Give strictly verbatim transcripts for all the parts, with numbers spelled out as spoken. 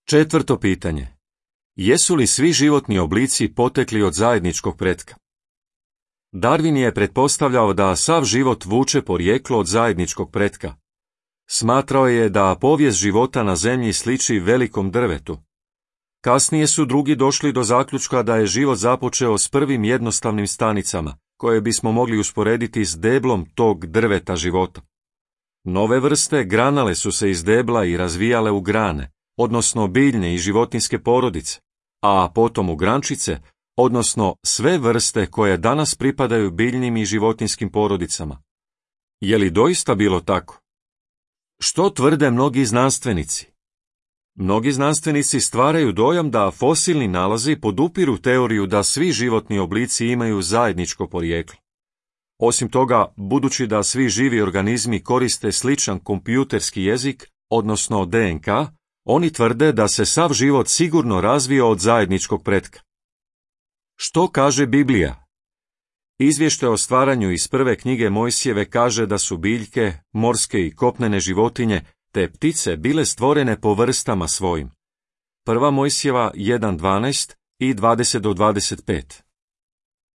Četvrto pitanje. Jesu li svi životni oblici potekli od zajedničkog pretka? Darwin je pretpostavljao da sav život vuče porijeklo od zajedničkog pretka. Smatrao je da povijest života na zemlji sliči velikom drvetu. Kasnije su drugi došli do zaključka da je život započeo s prvim jednostavnim stanicama, koje bismo mogli usporediti s deblom tog drveta života. Nove vrste granale su se iz debla i razvijale u grane, odnosno biljne i životinjske porodice, a potom u grančice, odnosno sve vrste koje danas pripadaju biljnim i životinjskim porodicama. Je li doista bilo tako? Što tvrde mnogi znanstvenici? Mnogi znanstvenici stvaraju dojam da fosilni nalazi podupiru teoriju da svi životni oblici imaju zajedničko porijeklo. Osim toga, budući da svi živi organizmi koriste sličan kompjuterski jezik, odnosno D N K, oni tvrde da se sav život sigurno razvio od zajedničkog pretka. Što kaže Biblija? Izvještaj o stvaranju iz prve knjige Mojsijeve kaže da su biljke, morske i kopnene životinje te ptice bile stvorene po vrstama svojim. Prva Mojsijeva jedan dvanaest i dvadeset do dvadeset pet.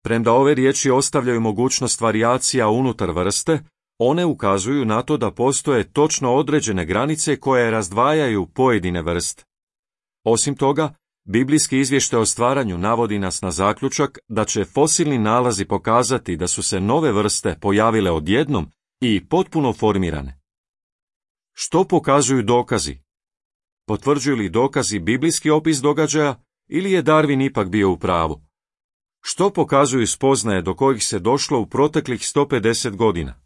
Premda ove riječi ostavljaju mogućnost varijacija unutar vrste, one ukazuju na to da postoje točno određene granice koje razdvajaju pojedine vrste. Osim toga, biblijski izvještaj o stvaranju navodi nas na zaključak da će fosilni nalazi pokazati da su se nove vrste pojavile odjednom i potpuno formirane. Što pokazuju dokazi? Potvrđuju li dokazi biblijski opis događaja ili je Darwin ipak bio u pravu? Što pokazuju spoznaje do kojih se došlo u proteklih sto pedeset godina?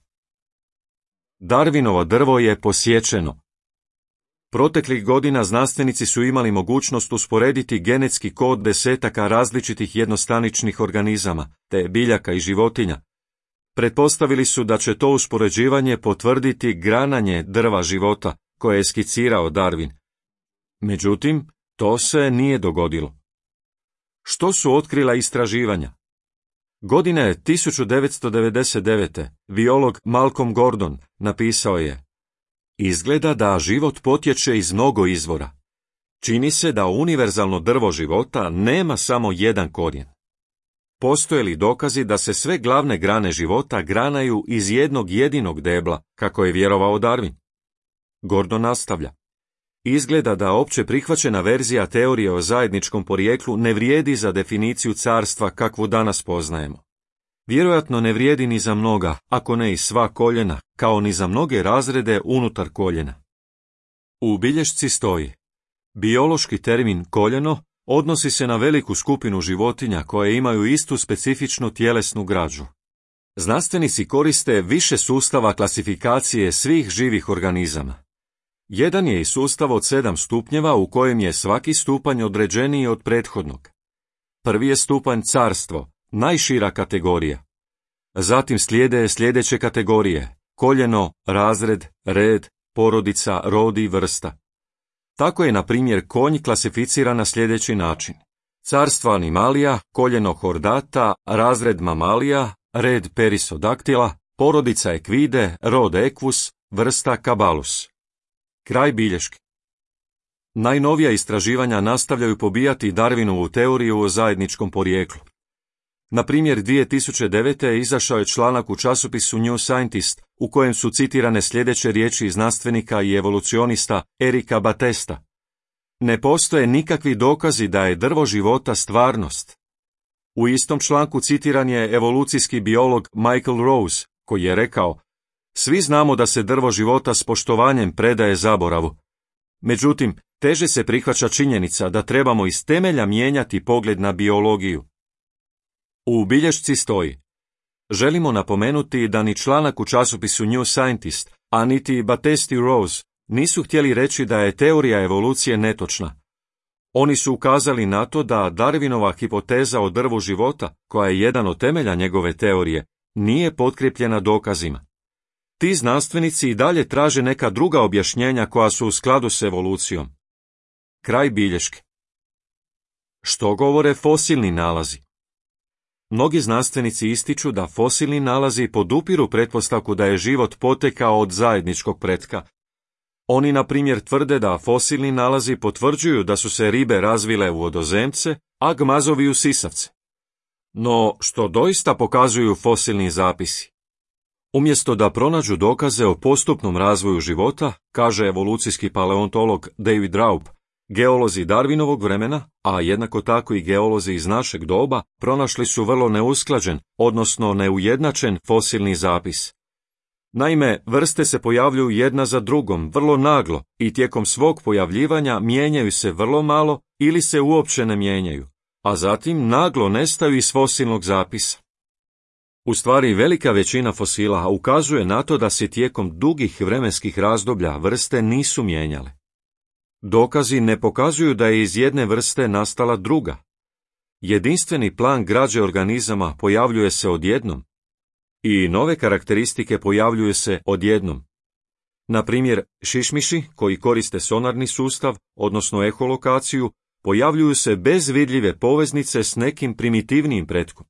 Darwinovo drvo je posječeno. Proteklih godina znanstvenici su imali mogućnost usporediti genetski kod desetaka različitih jednostaničnih organizama, te biljaka i životinja. Pretpostavili su da će to uspoređivanje potvrditi grananje drva života, koje je skicirao Darwin. Međutim, to se nije dogodilo. Što su otkrila istraživanja? Godine tisuću devetsto devedeset devete. biolog Malcolm Gordon napisao je: Izgleda da život potječe iz mnogo izvora. Čini se da univerzalno drvo života nema samo jedan korijen. Postoje li dokazi da se sve glavne grane života granaju iz jednog jedinog debla, kako je vjerovao Darwin? Gordon nastavlja: Izgleda da opće prihvaćena verzija teorije o zajedničkom porijeklu ne vrijedi za definiciju carstva kakvu danas poznajemo. Vjerojatno ne vrijedi ni za mnoga, ako ne i sva koljena, kao ni za mnoge razrede unutar koljena. U bilješci stoji: biološki termin koljeno odnosi se na veliku skupinu životinja koje imaju istu specifičnu tjelesnu građu. Znanstvenici koriste više sustava klasifikacije svih živih organizama. Jedan je i sustav od sedam stupnjeva u kojem je svaki stupanj određeniji od prethodnog. Prvi je stupanj carstvo, najšira kategorija. Zatim slijede sljedeće kategorije: koljeno, razred, red, porodica, rod i vrsta. Tako je, na primjer, konj klasificiran na sljedeći način: carstvo animalija, koljeno hordata, razred mamalija, red perisodaktila, porodica ekvide, rod equus, vrsta cabalus. Kraj bilješke. Najnovija istraživanja nastavljaju pobijati Darwinovu teoriju o zajedničkom porijeklu. Na primjer, dvije tisuće devete. izašao je članak u časopisu New Scientist u kojem su citirane sljedeće riječi znanstvenika i evolucionista Erika Batesta: Ne postoje nikakvi dokazi da je drvo života stvarnost. U istom članku citiran je evolucijski biolog Michael Rose, koji je rekao: Svi znamo da se drvo života s poštovanjem predaje zaboravu. Međutim, teže se prihvaća činjenica da trebamo iz temelja mijenjati pogled na biologiju. U bilješci stoji: Želimo napomenuti da ni članak u časopisu New Scientist, a niti Batest i Rose nisu htjeli reći da je teorija evolucije netočna. Oni su ukazali na to da Darwinova hipoteza o drvu života, koja je jedan od temelja njegove teorije, nije potkrepljena dokazima. Ti znanstvenici i dalje traže neka druga objašnjenja koja su u skladu s evolucijom. Kraj bilješke. Što govore fosilni nalazi? Mnogi znanstvenici ističu da fosilni nalazi podupiru pretpostavku da je život potekao od zajedničkog pretka. Oni, na primjer, tvrde da fosilni nalazi potvrđuju da su se ribe razvile u vodozemce, a gmazovi u sisavce. No, što doista pokazuju fosilni zapisi? Umjesto da pronađu dokaze o postupnom razvoju života, kaže evolucijski paleontolog David Raup, geolozi Darwinovog vremena, a jednako tako i geolozi iz našeg doba, pronašli su vrlo neusklađen, odnosno neujednačen fosilni zapis. Naime, vrste se pojavljuju jedna za drugom, vrlo naglo, i tijekom svog pojavljivanja mijenjaju se vrlo malo ili se uopće ne mijenjaju, a zatim naglo nestaju iz fosilnog zapisa. U stvari, velika većina fosila ukazuje na to da se tijekom dugih vremenskih razdoblja vrste nisu mijenjale. Dokazi ne pokazuju da je iz jedne vrste nastala druga. Jedinstveni plan građe organizama pojavljuje se odjednom. I nove karakteristike pojavljuju se odjednom. Na primjer, šišmiši koji koriste sonarni sustav, odnosno eholokaciju, pojavljuju se bez vidljive poveznice s nekim primitivnijim pretkom.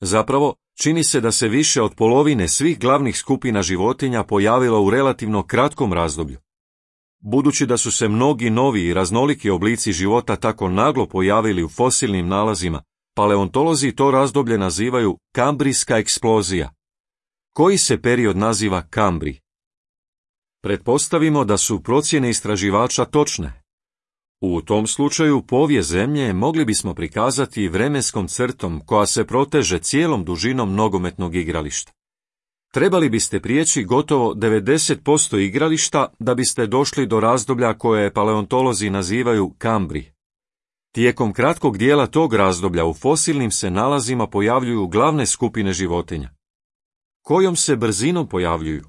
Zapravo, čini se da se više od polovine svih glavnih skupina životinja pojavilo u relativno kratkom razdoblju. Budući da su se mnogi novi i raznoliki oblici života tako naglo pojavili u fosilnim nalazima, paleontolozi to razdoblje nazivaju kambrijska eksplozija. Koji se period naziva Kambrij? Pretpostavimo da su procjene istraživača točne. U tom slučaju povijest Zemlje mogli bismo prikazati vremenskom crtom koja se proteže cijelom dužinom nogometnog igrališta. Trebali biste prijeći gotovo devedeset posto igrališta da biste došli do razdoblja koje paleontolozi nazivaju Kambrij. Tijekom kratkog dijela tog razdoblja u fosilnim se nalazima pojavljuju glavne skupine životinja. Kojom se brzinom pojavljuju?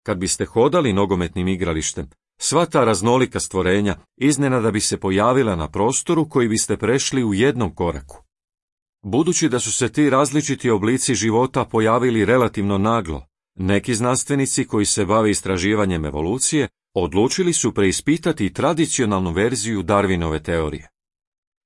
Kad biste hodali nogometnim igralištem, sva ta raznolika stvorenja iznenada bi se pojavila na prostoru koji biste prešli u jednom koraku. Budući da su se ti različiti oblici života pojavili relativno naglo, neki znanstvenici koji se bave istraživanjem evolucije odlučili su preispitati tradicionalnu verziju Darwinove teorije.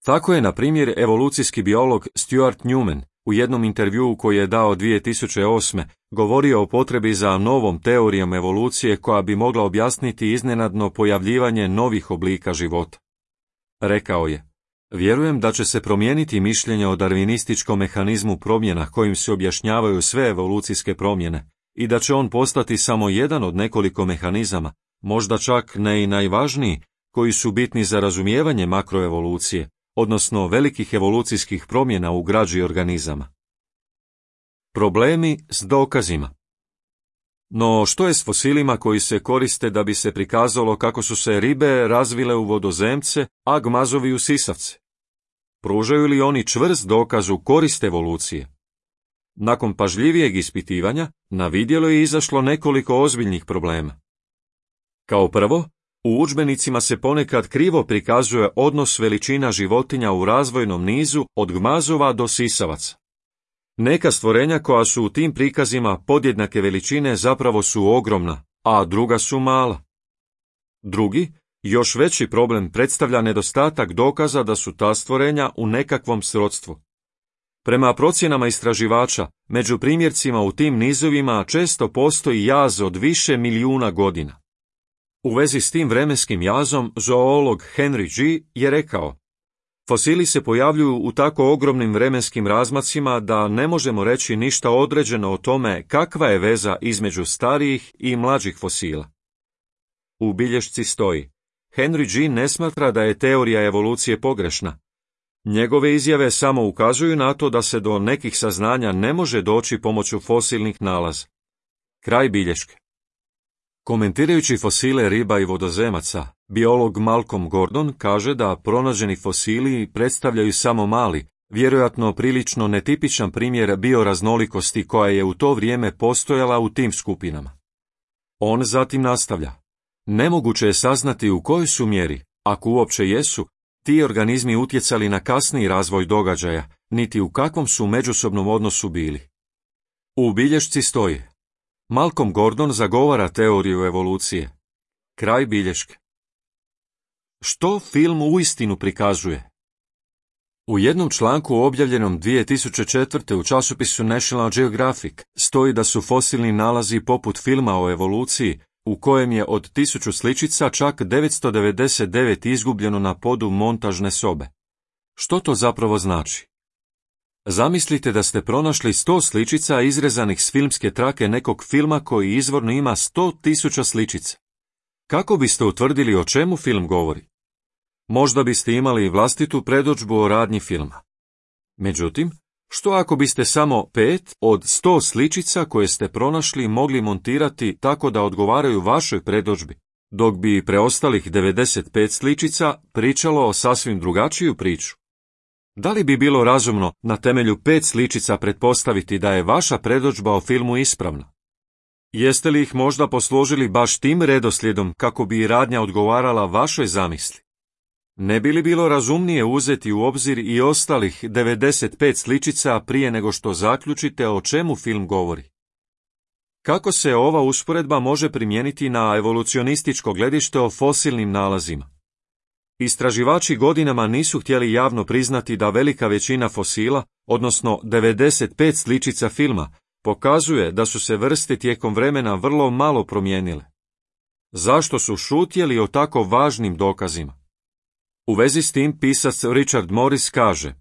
Tako je, na primjer, evolucijski biolog Stuart Newman u jednom intervjuu koji je dao dvije tisuće osme govorio o potrebi za novom teorijom evolucije koja bi mogla objasniti iznenadno pojavljivanje novih oblika života. Rekao je: vjerujem da će se promijeniti mišljenje o darvinističkom mehanizmu promjena kojim se objašnjavaju sve evolucijske promjene i da će on postati samo jedan od nekoliko mehanizama, možda čak ne i najvažniji, koji su bitni za razumijevanje makroevolucije, odnosno velikih evolucijskih promjena u građi organizama. Problemi s dokazima. No, što je s fosilima koji se koriste da bi se prikazalo kako su se ribe razvile u vodozemce, a gmazovi u sisavce? Pružaju li oni čvrst dokaz u korist evolucije? Nakon pažljivijeg ispitivanja, na vidjelo je izašlo nekoliko ozbiljnih problema. Kao prvo, u udžbenicima se ponekad krivo prikazuje odnos veličina životinja u razvojnom nizu od gmazova do sisavaca. Neka stvorenja koja su u tim prikazima podjednake veličine zapravo su ogromna, a druga su mala. Drugi, još veći problem predstavlja nedostatak dokaza da su ta stvorenja u nekakvom srodstvu. Prema procjenama istraživača, među primjercima u tim nizovima često postoji jaz od više milijuna godina. U vezi s tim vremenskim jazom, zoolog Henry G. je rekao: fosili se pojavljuju u tako ogromnim vremenskim razmacima da ne možemo reći ništa određeno o tome kakva je veza između starijih i mlađih fosila. U bilješci stoji: Henry G. ne smatra da je teorija evolucije pogrešna. Njegove izjave samo ukazuju na to da se do nekih saznanja ne može doći pomoću fosilnih nalaza. Kraj bilješke. Komentirajući fosile riba i vodozemaca, biolog Malcolm Gordon kaže da pronađeni fosili predstavljaju samo mali, vjerojatno prilično netipičan primjer bioraznolikosti koja je u to vrijeme postojala u tim skupinama. On zatim nastavlja: nemoguće je saznati u kojoj su mjeri, ako uopće jesu, ti organizmi utjecali na kasniji razvoj događaja, niti u kakvom su međusobnom odnosu bili. U bilješci stoji: Malcolm Gordon zagovara teoriju evolucije. Kraj bilješke. Što film uistinu prikazuje? U jednom članku objavljenom dvije tisuće četvrte u časopisu National Geographic stoji da su fosilni nalazi poput filma o evoluciji u kojem je od tisuću sličica čak devetsto devedeset devet izgubljeno na podu montažne sobe. Što to zapravo znači? Zamislite da ste pronašli sto sličica izrezanih s filmske trake nekog filma koji izvorno ima sto tisuća sličica. Kako biste utvrdili o čemu film govori? Možda biste imali vlastitu predodžbu o radnji filma. Međutim, što ako biste samo pet od sto sličica koje ste pronašli mogli montirati tako da odgovaraju vašoj predodžbi, dok bi preostalih devedeset pet sličica pričalo o sasvim drugačiju priču? Da li bi bilo razumno na temelju pet sličica pretpostaviti da je vaša predodžba o filmu ispravna? Jeste li ih možda posložili baš tim redoslijedom kako bi radnja odgovarala vašoj zamisli? Ne bi li bilo razumnije uzeti u obzir i ostalih devedeset pet sličica prije nego što zaključite o čemu film govori? Kako se ova usporedba može primijeniti na evolucionističko gledište o fosilnim nalazima? Istraživači godinama nisu htjeli javno priznati da velika većina fosila, odnosno devedeset pet sličica filma, pokazuje da su se vrste tijekom vremena vrlo malo promijenile. Zašto su šutjeli o tako važnim dokazima? U vezi s tim pisac Richard Morris kaže: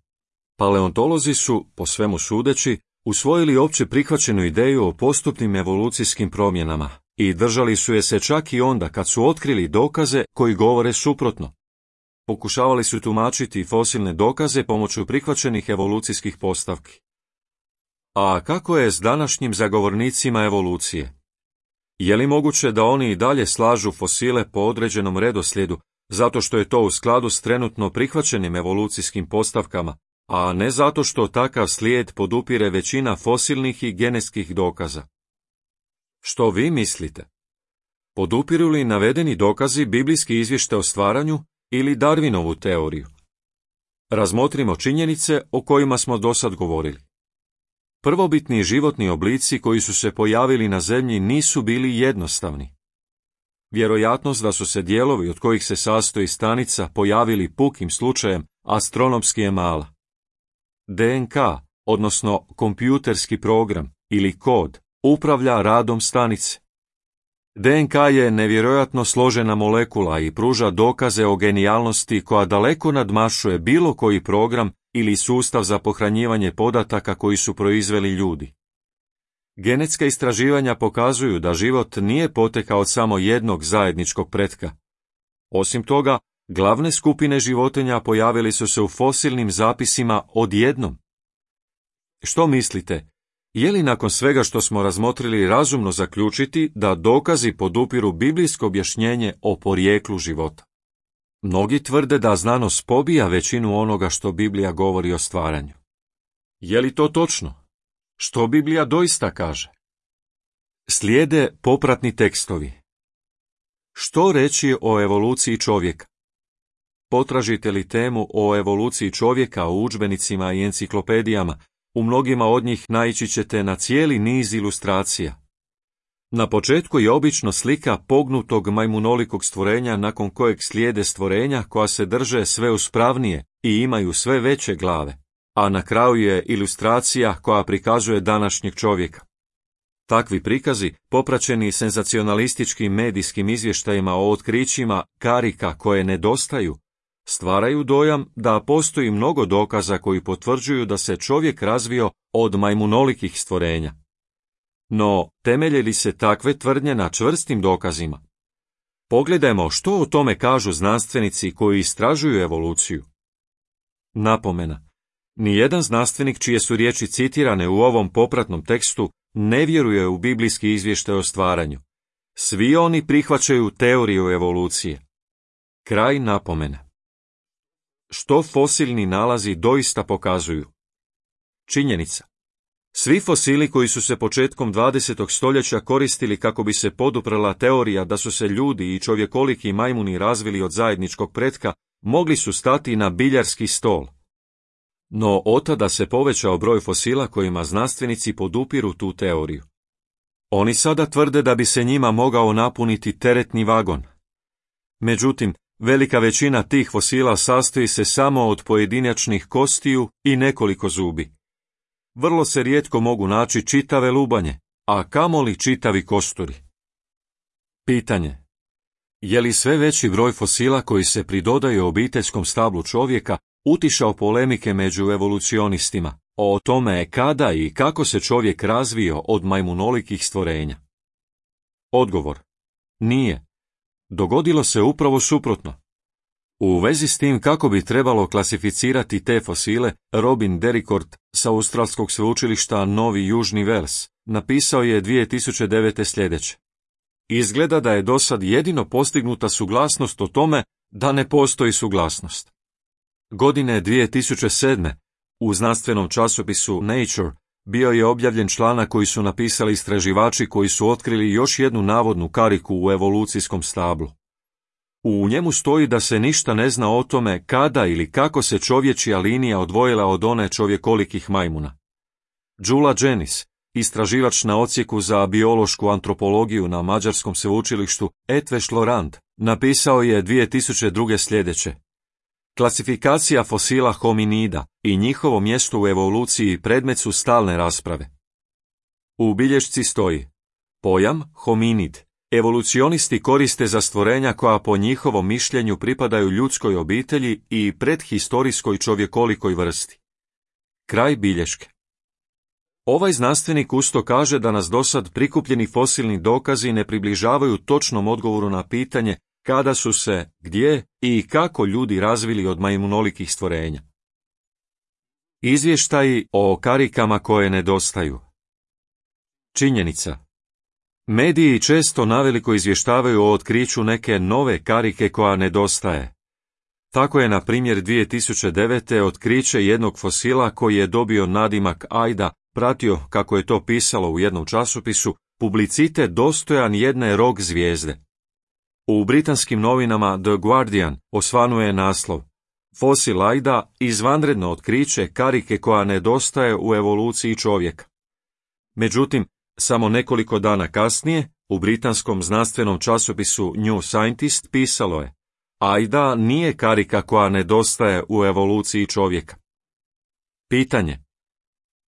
paleontolozi su, po svemu sudeći, usvojili opće prihvaćenu ideju o postupnim evolucijskim promjenama i držali su je se čak i onda kad su otkrili dokaze koji govore suprotno. Pokušavali su tumačiti fosilne dokaze pomoću prihvaćenih evolucijskih postavki. A kako je s današnjim zagovornicima evolucije? Je li moguće da oni i dalje slažu fosile po određenom redoslijedu, zato što je to u skladu s trenutno prihvaćenim evolucijskim postavkama, a ne zato što takav slijed podupire većina fosilnih i genetskih dokaza? Što vi mislite? Podupiru li navedeni dokazi biblijski izvještaj o stvaranju ili Darwinovu teoriju? Razmotrimo činjenice o kojima smo dosad govorili. Prvobitni životni oblici koji su se pojavili na zemlji nisu bili jednostavni. Vjerojatnost da su se dijelovi od kojih se sastoji stanica pojavili pukim slučajem astronomski je mala. D N K, odnosno kompjuterski program ili kod, upravlja radom stanice. D N K je nevjerojatno složena molekula i pruža dokaze o genijalnosti koja daleko nadmašuje bilo koji program ili sustav za pohranjivanje podataka koji su proizveli ljudi. Genetska istraživanja pokazuju da život nije potekao od samo jednog zajedničkog pretka. Osim toga, glavne skupine životinja pojavili su se u fosilnim zapisima odjednom. Što mislite, je li nakon svega što smo razmotrili razumno zaključiti da dokazi podupiru biblijsko objašnjenje o porijeklu života? Mnogi tvrde da znanost pobija većinu onoga što Biblija govori o stvaranju. Je li to točno? Što Biblija doista kaže? Slijede popratni tekstovi. Što reći o evoluciji čovjeka? Potražite li temu o evoluciji čovjeka u udžbenicima i enciklopedijama, u mnogima od njih naići ćete na cijeli niz ilustracija. Na početku je obično slika pognutog majmunolikog stvorenja nakon kojeg slijede stvorenja koja se drže sve uspravnije i imaju sve veće glave, a na kraju je ilustracija koja prikazuje današnjeg čovjeka. Takvi prikazi, popraćeni senzacionalističkim medijskim izvještajima o otkrićima karika koje nedostaju, stvaraju dojam da postoji mnogo dokaza koji potvrđuju da se čovjek razvio od majmunolikih stvorenja. No, temelje li se takve tvrdnje na čvrstim dokazima? Pogledajmo što o tome kažu znanstvenici koji istražuju evoluciju. Napomena. Nijedan znanstvenik čije su riječi citirane u ovom popratnom tekstu ne vjeruje u biblijski izvještaj o stvaranju. Svi oni prihvaćaju teoriju evolucije. Kraj napomene. Što fosilni nalazi doista pokazuju? Činjenica. Svi fosili koji su se početkom dvadesetog stoljeća koristili kako bi se poduprla teorija da su se ljudi i čovjekoliki majmuni razvili od zajedničkog pretka, mogli su stati na biljarski stol. No otada se povećao broj fosila kojima znanstvenici podupiru tu teoriju. Oni sada tvrde da bi se njima mogao napuniti teretni vagon. Međutim, velika većina tih fosila sastoji se samo od pojedinačnih kostiju i nekoliko zubi. Vrlo se rijetko mogu naći čitave lubanje, a kamoli čitavi kosturi. Pitanje. Je li sve veći broj fosila koji se pridodaju obiteljskom stablu čovjeka utišao polemike među evolucionistima o tome kada i kako se čovjek razvio od majmunolikih stvorenja? Odgovor. Nije. Dogodilo se upravo suprotno. U vezi s tim kako bi trebalo klasificirati te fosile, Robin Dericourt sa Australskog sveučilišta Novi Južni Vels napisao je dvije tisuće devete sljedeće. Izgleda da je dosad jedino postignuta suglasnost o tome da ne postoji suglasnost. Godine dvije tisuće sedme u znanstvenom časopisu Nature bio je objavljen članak koji su napisali istraživači koji su otkrili još jednu navodnu kariku u evolucijskom stablu. U njemu stoji da se ništa ne zna o tome kada ili kako se čovječja linija odvojila od one čovjekolikih majmuna. Đula Dženis, istraživač na odsjeku za biološku antropologiju na Mađarskom sveučilištu Eötvös Loránd, napisao je dvije tisuće druge sljedeće. Klasifikacija fosila hominida i njihovo mjesto u evoluciji predmet su stalne rasprave. U bilješci stoji: pojam hominid evolucionisti koriste za stvorenja koja po njihovom mišljenju pripadaju ljudskoj obitelji i predhistorijskoj čovjekolikoj vrsti. Kraj bilješke. Ovaj znanstvenik usto kaže da nas dosad prikupljeni fosilni dokazi ne približavaju točnom odgovoru na pitanje kada su se, gdje i kako ljudi razvili od majmunolikih stvorenja. Izvještaji o karikama koje nedostaju. Činjenica. Mediji često naveliko izvještavaju o otkriću neke nove karike koja nedostaje. Tako je, na primjer, dvije tisuće devete otkriće jednog fosila koji je dobio nadimak Ajda pratio, kako je to pisalo u jednom časopisu, publicitet dostojan jedne rog zvijezde. U britanskim novinama The Guardian osvanuje naslov: Fosil Ajda, izvanredno otkriće karike koja nedostaje u evoluciji čovjeka. Međutim, samo nekoliko dana kasnije, u britanskom znanstvenom časopisu New Scientist pisalo je: Ajda nije karika koja nedostaje u evoluciji čovjeka. Pitanje.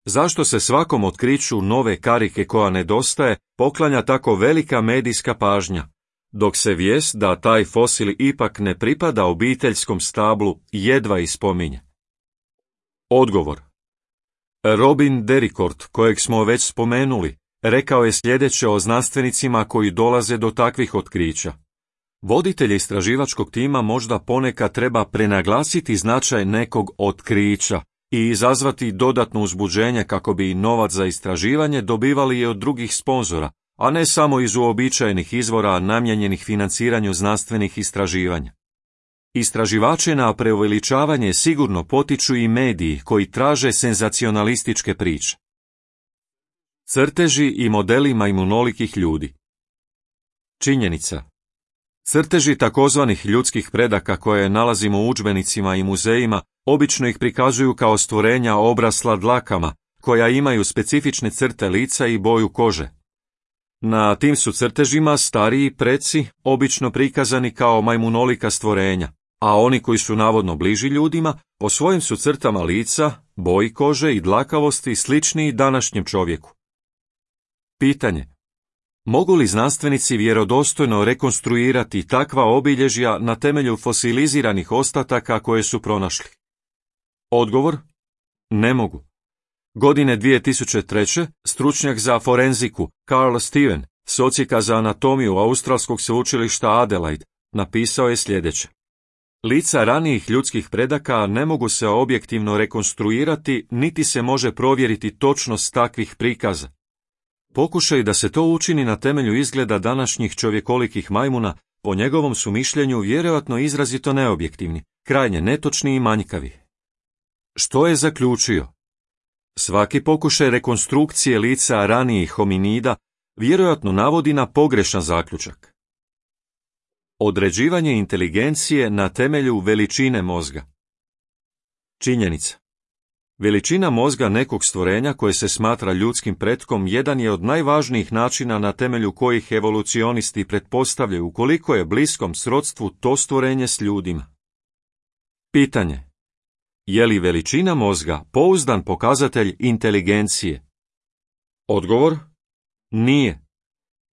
Zašto se svakom otkriću nove karike koja nedostaje poklanja tako velika medijska pažnja, dok se vijest da taj fosil ipak ne pripada obiteljskom stablu jedva ispominje? Odgovor. Robin Dericourt, kojeg smo već spomenuli, rekao je sljedeće o znanstvenicima koji dolaze do takvih otkrića. Voditelj istraživačkog tima možda ponekad treba prenaglasiti značaj nekog otkrića i izazvati dodatno uzbuđenje kako bi novac za istraživanje dobivali i od drugih sponzora, a ne samo iz uobičajenih izvora namijenjenih financiranju znanstvenih istraživanja. Istraživače na preuveličavanje sigurno potiču i mediji koji traže senzacionalističke priče. Crteži i modeli majmunolikih ljudi. Činjenica. Crteži takozvanih ljudskih predaka koje nalazimo u udžbenicima i muzejima obično ih prikazuju kao stvorenja obrasla dlakama, koja imaju specifične crte lica i boju kože. Na tim su crtežima stariji preci obično prikazani kao majmunolika stvorenja, a oni koji su navodno bliži ljudima, po svojim su crtama lica, boji kože i dlakavosti sličniji današnjem čovjeku. Pitanje. Mogu li znanstvenici vjerodostojno rekonstruirati takva obilježja na temelju fosiliziranih ostataka koje su pronašli? Odgovor. Ne mogu. Godine dvije tisuće treće stručnjak za forenziku Carl Steven s odsjeka za anatomiju Australskog sveučilišta Adelaide napisao je sljedeće. Lica ranijih ljudskih predaka ne mogu se objektivno rekonstruirati, niti se može provjeriti točnost takvih prikaza. Pokušaj da se to učini na temelju izgleda današnjih čovjekolikih majmuna, po njegovom su mišljenju vjerojatno izrazito neobjektivni, krajnje netočni i manjkavi. Što je zaključio? Svaki pokušaj rekonstrukcije lica ranijih hominida vjerojatno navodi na pogrešan zaključak. Određivanje inteligencije na temelju veličine mozga. Činjenica. Veličina mozga nekog stvorenja koje se smatra ljudskim pretkom jedan je od najvažnijih načina na temelju kojih evolucionisti pretpostavljaju koliko je bliskom srodstvu to stvorenje s ljudima. Pitanje. Je li veličina mozga pouzdan pokazatelj inteligencije? Odgovor. Nije.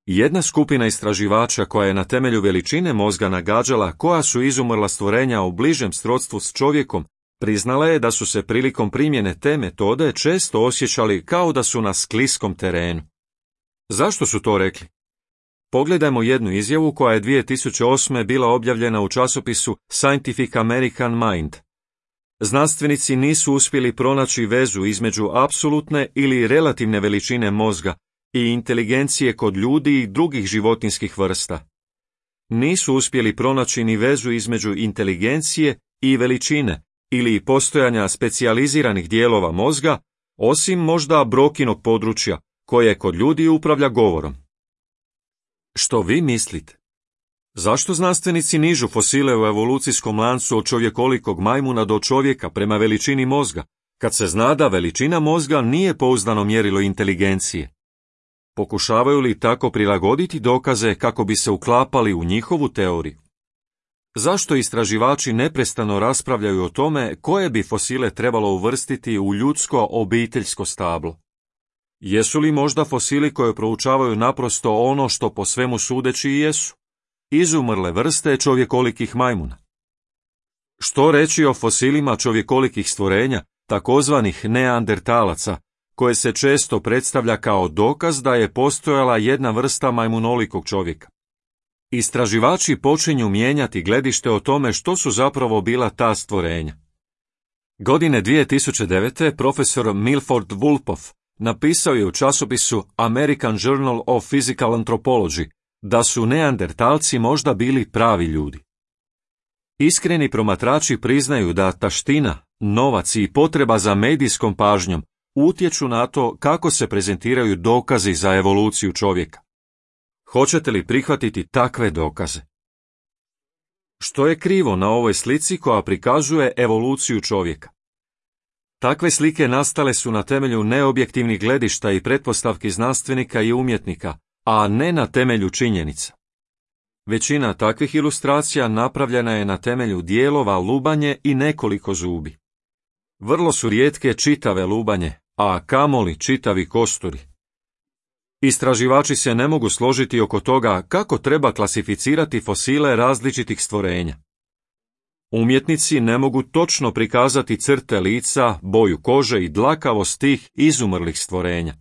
Jedna skupina istraživača koja je na temelju veličine mozga nagađala koja su izumrla stvorenja u bližem srodstvu s čovjekom, priznala je da su se prilikom primjene te metode često osjećali kao da su na skliskom terenu. Zašto su to rekli? Pogledajmo jednu izjavu koja je dvije tisuće osme bila objavljena u časopisu Scientific American Mind. Znanstvenici nisu uspjeli pronaći vezu između apsolutne ili relativne veličine mozga i inteligencije kod ljudi i drugih životinjskih vrsta. Nisu uspjeli pronaći ni vezu između inteligencije i veličine ili postojanja specijaliziranih dijelova mozga, osim možda Brokinog područja, koje kod ljudi upravlja govorom. Što vi mislite? Zašto znanstvenici nižu fosile u evolucijskom lancu od čovjekolikog majmuna do čovjeka prema veličini mozga, kad se zna da veličina mozga nije pouzdano mjerilo inteligencije? Pokušavaju li tako prilagoditi dokaze kako bi se uklapali u njihovu teoriju? Zašto istraživači neprestano raspravljaju o tome koje bi fosile trebalo uvrstiti u ljudsko obiteljsko stablo? Jesu li možda fosili koje proučavaju naprosto ono što po svemu sudeći i jesu? Izumrle vrste čovjekolikih majmuna. Što reći o fosilima čovjekolikih stvorenja, takozvanih neandertalaca, koje se često predstavlja kao dokaz da je postojala jedna vrsta majmunolikog čovjeka? Istraživači počinju mijenjati gledište o tome što su zapravo bila ta stvorenja. Godine dvije tisuće devete profesor Milford Wolpoff napisao je u časopisu American Journal of Physical Anthropology da su neandertalci možda bili pravi ljudi. Iskreni promatrači priznaju da taština, novac i potreba za medijskom pažnjom utječu na to kako se prezentiraju dokazi za evoluciju čovjeka. Hoćete li prihvatiti takve dokaze? Što je krivo na ovoj slici koja prikazuje evoluciju čovjeka? Takve slike nastale su na temelju neobjektivnih gledišta i pretpostavki znanstvenika i umjetnika, a ne na temelju činjenica. Većina takvih ilustracija napravljena je na temelju dijelova lubanje i nekoliko zubi. Vrlo su rijetke čitave lubanje, a kamoli čitavi kosturi. Istraživači se ne mogu složiti oko toga kako treba klasificirati fosile različitih stvorenja. Umjetnici ne mogu točno prikazati crte lica, boju kože i dlakavost tih izumrlih stvorenja.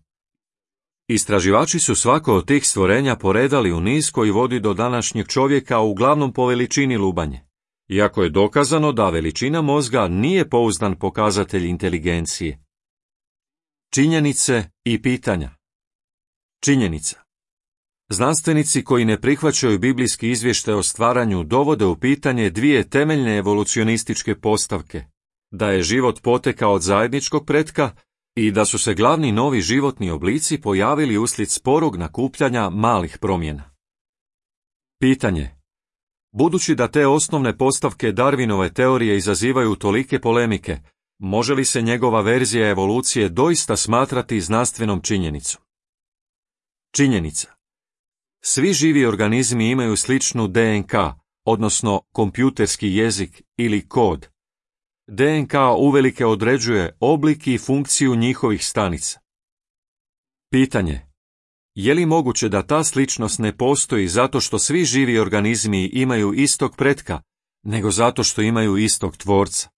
Istraživači su svako od tih stvorenja poredali u niz koji vodi do današnjeg čovjeka uglavnom po veličini lubanje, iako je dokazano da veličina mozga nije pouzdan pokazatelj inteligencije. Činjenice i pitanja. Činjenica. Znanstvenici koji ne prihvaćaju biblijski izvještaj o stvaranju dovode u pitanje dvije temeljne evolucionističke postavke, da je život potekao od zajedničkog pretka i da su se glavni novi životni oblici pojavili uslijed sporog nakupljanja malih promjena. Pitanje. Budući da te osnovne postavke Darwinove teorije izazivaju tolike polemike, može li se njegova verzija evolucije doista smatrati znanstvenom činjenicom? Činjenica. Svi živi organizmi imaju sličnu D N K, odnosno kompjuterski jezik ili kod. D N K uvelike određuje oblik i funkciju njihovih stanica. Pitanje. Je li moguće da ta sličnost ne postoji zato što svi živi organizmi imaju istog pretka, nego zato što imaju istog tvorca?